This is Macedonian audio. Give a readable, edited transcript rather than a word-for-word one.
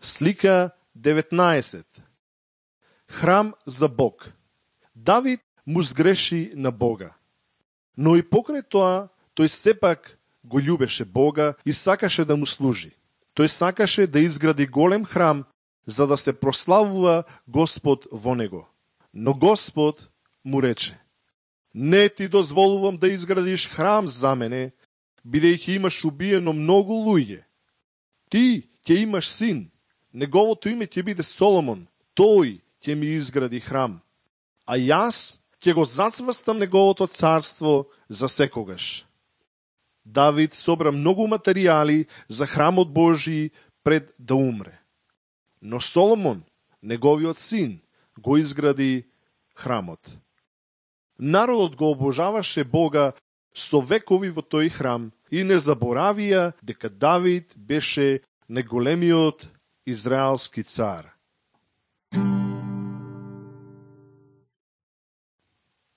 Слика 19. Храм за Бог. Давид му сгреши на Бога. Но и покрај тоа, тој сепак го љубеше Бога и сакаше да му служи. Тој сакаше да изгради голем храм, за да се прославува Господ во него. Но Господ му рече: не ти дозволувам да изградиш храм за мене, бидејќи имаш убиено многу луѓе. Ти ќе имаш син, неговото име ќе биде Соломон, тој ќе ми изгради храм, а јас ќе го зацврстам неговото царство за секогаш. Давид собра многу материјали за храмот Божи пред да умре. Но Соломон, неговиот син, го изгради храмот. Народот го обожаваше Бога со векови во тој храм и не заборавија дека Давид беше најголемиот израелски цар.